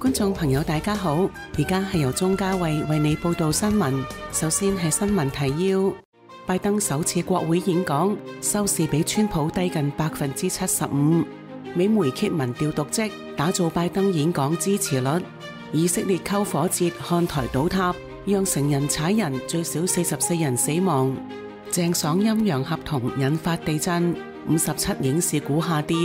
觀眾朋友大家好，而家係由鐘嘉慧為你報道新聞。首先係新聞提要：拜登首次國會演講收視比川普低近75%。美媒揭民調瀆職，打造拜登演講支持率。以色列篝火節看台倒塌，讓成人踩人，最少44人死亡。鄭爽陰陽合同引發地震，57影視股下跌。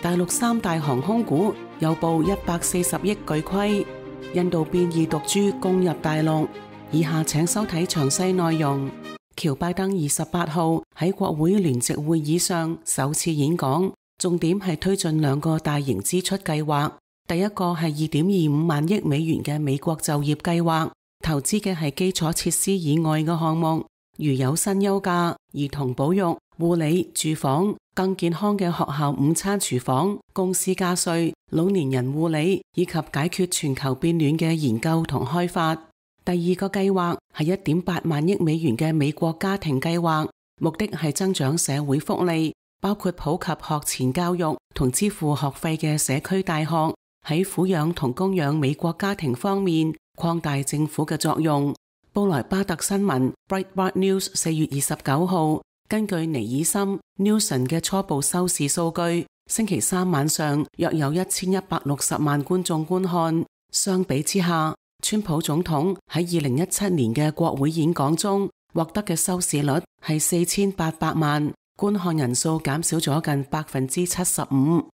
大陸三大航空股又報140億巨虧。印度變異毒株攻入大陸。以下請收睇詳細內容。喬拜登28號喺國會聯席會議上首次演講，重點係推進兩個大型支出計劃。第一個係2.25萬億美元嘅美國就業計劃，投資嘅係基礎設施以外嘅項目，如有薪休假、兒童保育、護理、住房、更健康嘅學校午餐廚房、公司加稅、老年人護理以及解決全球變暖嘅研究同開發。第二個計劃係1.8萬億美元嘅美國家庭計劃，目的係增長社會福利，包括普及學前教育同支付學費嘅社區大學，喺撫養同供養美國家庭方面擴大政府嘅作用。布萊巴特新聞 Breitbart News 4月29號根據尼爾森 Nielsen 嘅初步收視數據，星期三晚上約有1160萬觀眾觀看。相比之下，川普總統喺2017年嘅國會演講中獲得嘅收視率係4800萬，觀看人數減少咗近75%。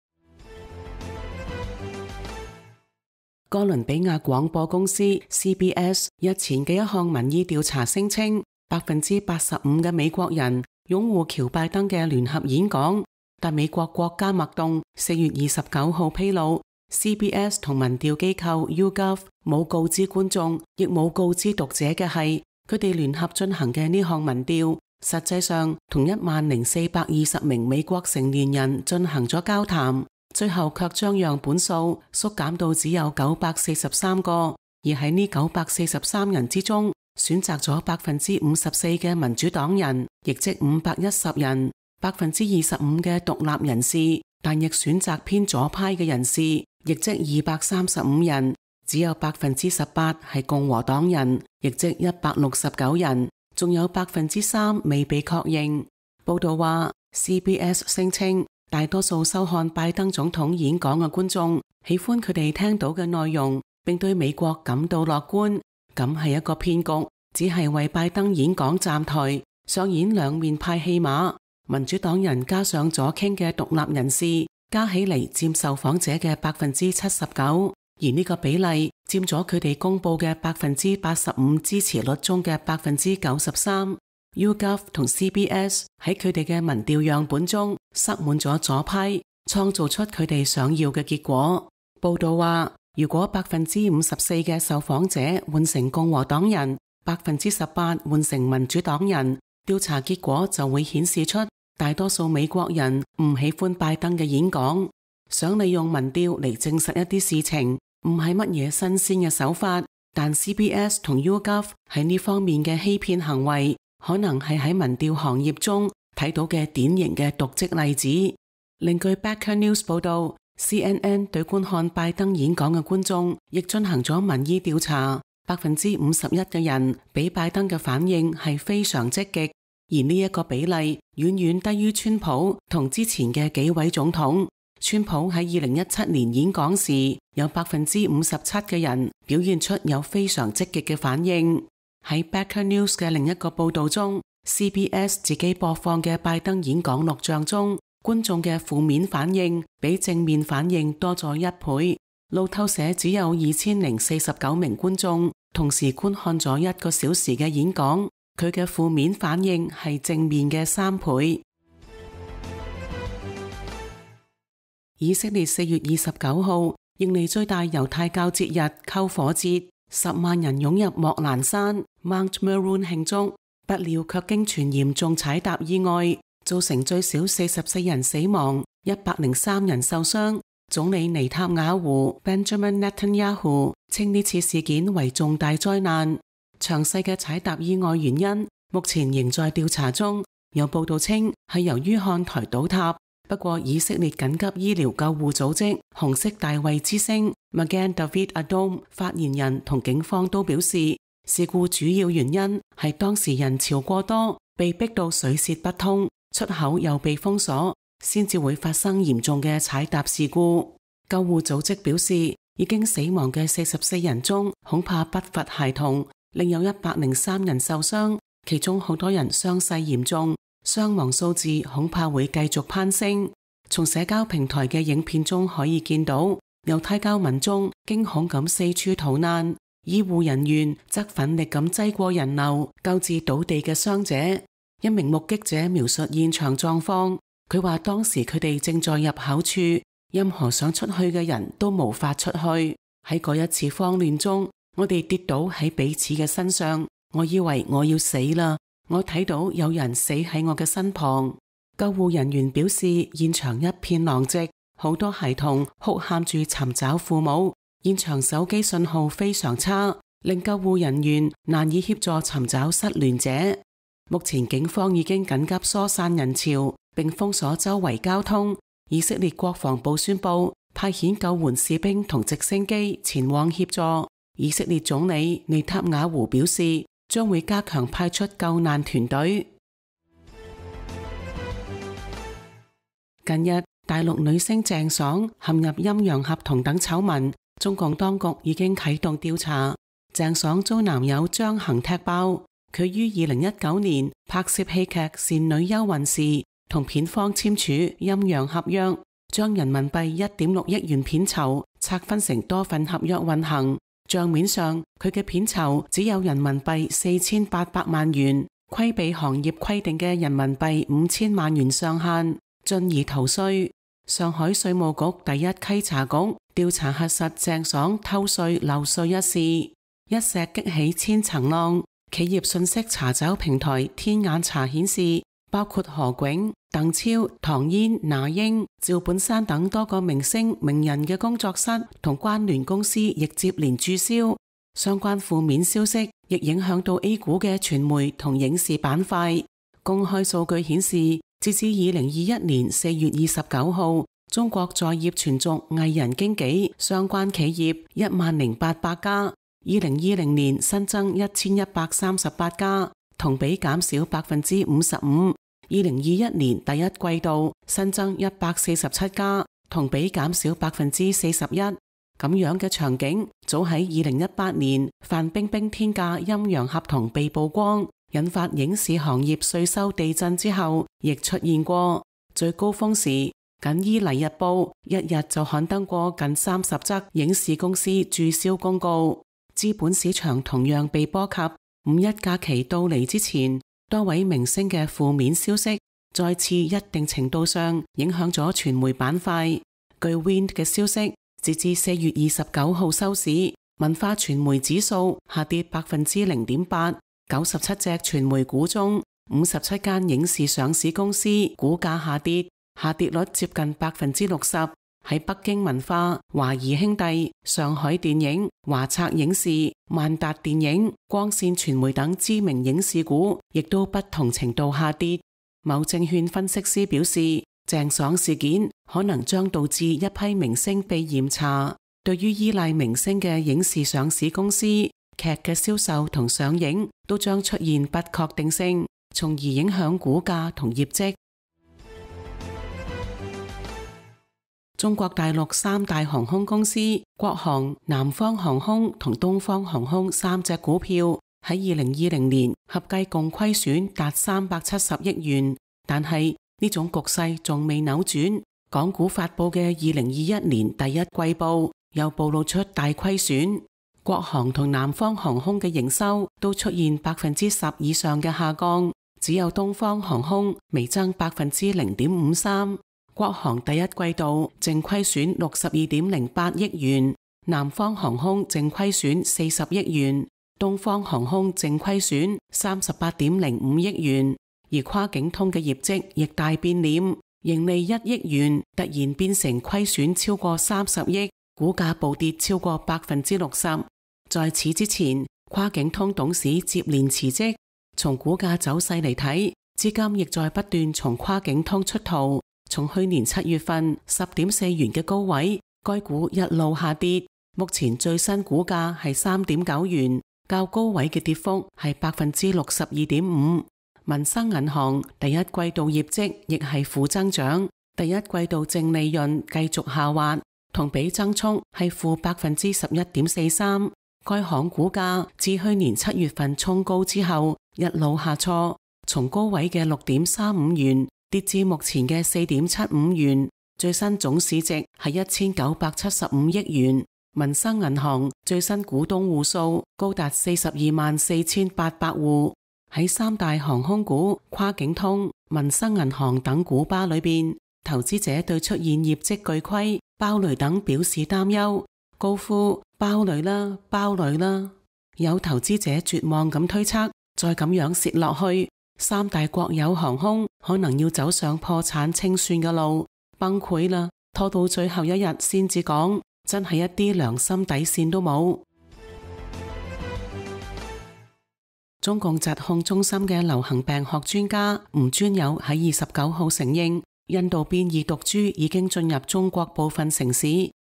哥倫比亞廣播公司 CBS 日前嘅一項民意調查聲稱，85%嘅美國人擁護喬拜登嘅聯合演講，但美國國家脈動4月29號披露，CBS 同民調機構 YouGov 冇告知觀眾，亦冇告知讀者嘅係，佢哋聯合進行嘅呢項民調，實際上同10420名美國成年人進行咗交談，最後卻將樣本數縮減到只有943個，而喺呢943人之中，選擇咗54%嘅民主黨人，亦即510人；25% 嘅獨立人士，但亦選擇偏左派嘅人士，亦即235人；只有18%係共和黨人，亦即169人；仲有3%未被確認。報道話 ，CBS 聲稱大多數收看拜登總統演講嘅觀眾喜歡佢哋聽到嘅內容，並對美國感到樂觀。咁係一個騙局，只係為拜登演講站台，上演兩面派戲碼。民主黨人加上左傾嘅獨立人士，加起嚟佔受訪者嘅79%，而呢個比例佔咗佢哋公佈嘅85%支持率中嘅93%。YouGov 同 CBS 喺佢哋嘅民調樣本中塞滿咗左派，創造出佢哋想要嘅結果。報道話，如果54%嘅受訪者換成共和黨人，18%換成民主黨人，調查結果就會顯示出大多數美國人唔喜歡拜登嘅演講。想利用民調嚟證實一啲事情，唔係乜嘢新鮮嘅手法，但 CBS 同 YouGov 喺呢方面嘅欺騙行為，可能係喺民調行業中睇到嘅典型嘅瀆職例子。另據 Backer News 報道， CNN 對觀看拜登演講嘅觀眾亦進行咗民意調查，51%嘅人俾拜登嘅反應係非常積極，而呢一個比例遠遠低於川普同之前嘅幾位總統。川普喺2017年演講時，有57%嘅人表現出有非常積極嘅反應。喺 Backer News 嘅另一個報道中， CBS 自己播放嘅拜登演講錄像中，觀眾嘅負面反應比正面反應多咗1倍。路透社只有2049名觀眾同時觀看咗1個小時嘅演講，佢嘅負面反應係正面嘅3倍。以色列4月29號迎嚟最大猶太教節日篝火節，10萬人湧入莫蘭山 Mount Meron 慶祝，不料卻經傳嚴重踩踏意外，造成最少44人死亡，103人受傷。總理尼塔雅胡 Benjamin Netanyahu 稱呢次事件為重大災難。詳細嘅踩踏意外原因目前仍在調查中，有報道稱係由於看台倒塌，不過以色列緊急醫療救護組織紅色大衛之星 Magen David Adom 發言人同警方都表示，事故主要原因係當時人潮過多，被逼到水泄不通，出口又被封鎖，先至會發生嚴重嘅踩踏事故。救護組織表示，已經死亡嘅44人中，恐怕不乏孩童，另有103人受傷，其中好多人傷勢嚴重，傷亡數字恐怕會繼續攀升。從社交平台嘅影片中可以見到，猶太教民眾驚恐咁四處逃難，醫護人員則奮力咁擠過人流，救治倒地嘅傷者。一名目擊者描述現場狀況，佢話當時佢哋正在入口處，任何想出去嘅人都無法出去。喺嗰一次慌亂中，我哋跌倒喺彼此嘅身上，我以為我要死啦，我睇到有人死喺我嘅身旁。救護人員表示，現場一片狼藉，好多孩童哭喊住尋找父母，現場手機信號非常差，令救護人員難以協助尋找失聯者。目前警方已經緊急疏散人潮，並封鎖周圍交通。以色列國防部宣布派遣救援士兵同直升機前往協助。以色列總理內塔尼亞胡表示，將會加強派出救難團隊。近日，大陸女星鄭爽陷入陰陽合同等醜聞，中共當局已經啟動調查。鄭爽遭男友張恒踢爆，佢於2019年拍攝戲劇《倩女幽魂》時，同片方簽署陰陽合約，將人民幣1.6億元片酬拆分成多份合約運行。賬面上，佢嘅片酬只有人民幣4800萬元，規避行業規定嘅人民幣5000萬元上限，進而逃稅。上海稅務局第一稽查局調查核實鄭爽偷稅漏稅一事，一石激起千層浪。企業信息查找平台天眼查顯示，包括何炅、鄧超、唐嫣、那英、趙本山等多個明星名人嘅工作室同關聯公司亦接連註銷。相關負面消息亦影響到 A 股嘅傳媒同影視板塊。公開數據顯示，截至2021年4月29號，中國在業全族藝人經紀相關企業10800家，2020年新增1138家，同比減少55%。2021年第一季度新增147家，同比減少41%。咁樣嘅場景，早喺2018年范冰冰天價陰陽合同被曝光，引發影視行業稅收地震之後，亦出現過。最高峰時，僅伊犁日報一日就刊登過近30則影視公司註銷公告。資本市場同樣被波及。五一假期到嚟之前，多位明星嘅負面消息再次一定程度上影響咗傳媒板塊。據 Wind 嘅消息，截至4月29號收市，文化傳媒指數下跌0.8%， 97隻傳媒股中57間影視上市公司股價下跌，下跌率接近60%。喺北京文化、華誼兄弟、上海電影、華策影視、萬達電影、光線傳媒等知名影視股亦都不同程度下跌。某證券分析師表示，鄭爽事件可能將導致一批明星被嚴查，對於依賴明星嘅影視上市公司，劇嘅銷售同上映都將出現不確定性，從而影響股價同業績。中國大陸三大航空公司國航、南方航空同東方航空三隻股票喺2020年合計共虧損達370億元，但係呢種局勢仲未扭轉。港股發佈嘅2021年第一季報又暴露出大虧損，國航同南方航空嘅營收都出現10%以上嘅下降，只有東方航空微增0.53%。國航第一季度淨虧損62.08億元，南方航空淨虧損40億元，東方航空淨虧損38.05億元。而跨境通嘅業績亦大變臉，盈利1億元突然變成虧損超過30億，股價暴跌超過60%。在此之前，跨境通董事接連辭職，從股價走勢嚟睇，資金亦在不斷從跨境通出逃。從去年7月份10.4元嘅高位，該股一路下跌，目前最新股價係3.9元，較高位嘅跌幅係62.5%。民生銀行第一季度業績亦係負增長，第一季度淨利潤繼續下滑，同比增速係負11.43%。該行股價自去年7月份衝高之後一路下挫，從高位嘅6.35元跌至目前嘅4.75元，最新總市值係1975億元。民生銀行最新股東戶數高達424800戶。喺三大航空股、跨境通、民生銀行等股巴裏邊，投資者對出現業績巨虧、爆雷等表示擔憂，高呼爆雷啦，爆雷啦！有投資者絕望咁推測，再咁樣蝕落去，三大國有航空可能要走上破產清算嘅路，崩潰啦！拖到最後一日先至講，真係一啲良心底線都冇。中共疾控中心嘅流行病學專家吳尊友喺29號承認，印度變異毒株已經進入中國部分城市，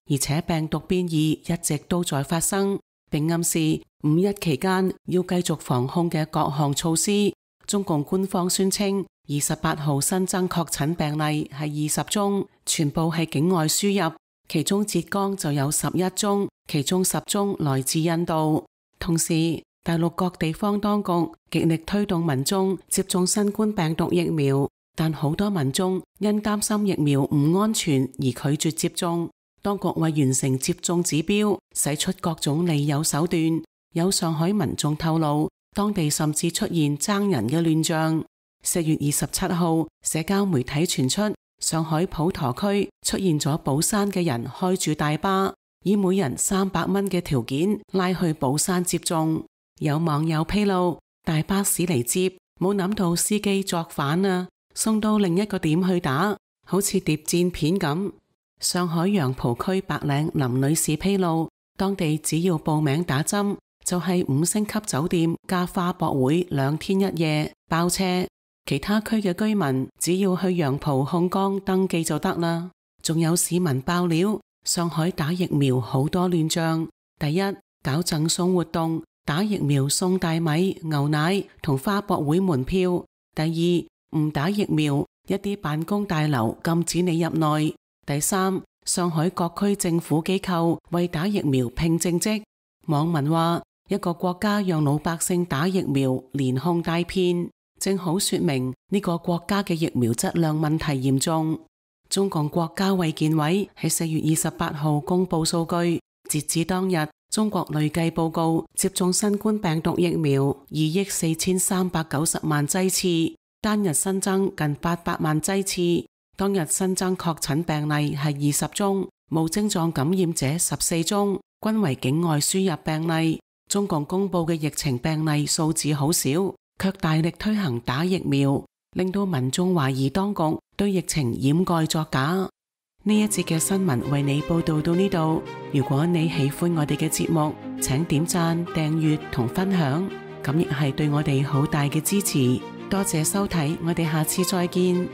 而且病毒變異一直都在發生，並暗示5·1期間要繼續防控嘅各項措施。中共官方宣稱28號新增確診病例係20宗，全部係境外輸入，其中浙江就有11宗，其中10宗來自印度。同時，大陸各地方當局極力推動民眾接種新冠病毒疫苗，但好多民眾因擔心疫苗唔安全而拒絕接種。當局為完成接種指標，使出各種利誘手段。有上海民眾透露，當地甚至出現爭人嘅亂象。4月27號，社交媒體傳出上海普陀區出現咗寶山嘅人開住大巴，以每人300蚊嘅條件拉去寶山接種。有網友披露，大巴駛嚟接，冇諗到司機作反啊，送到另一個點去打，好似諜戰片咁。上海楊浦區白領林女士披露，當地只要報名打針，就係5星級酒店加花博會2天1夜包車，其他區嘅居民只要去楊浦控江登記就得啦。仲有市民爆料，上海打疫苗好多亂象，第一，搞贈送活動，打疫苗送大米、牛奶同花博會門票；第二，唔打疫苗，一啲辦公大樓禁止你入內；第三，上海各區政府機構為打疫苗聘正職。網民話，一個國家讓老百姓打疫苗，連哄帶騙，正好說明呢個國家嘅疫苗質量問題嚴重。中共國家衛健委喺4月28號公布數據，截至當日，中國累計報告接種新冠病毒疫苗2億4390萬劑次，單日新增近800萬劑次。當日新增確診病例係20宗，無症狀感染者14宗，均為境外輸入病例。中共公布嘅疫情病例數字好少，卻大力推行打疫苗，令到民眾懷疑當局對疫情掩蓋作假。呢一節嘅新聞為你報道到呢度。如果你喜歡我哋嘅節目，請點讚、訂閱同分享，咁亦係對我哋好大嘅支持。多謝收睇，我哋下次再見。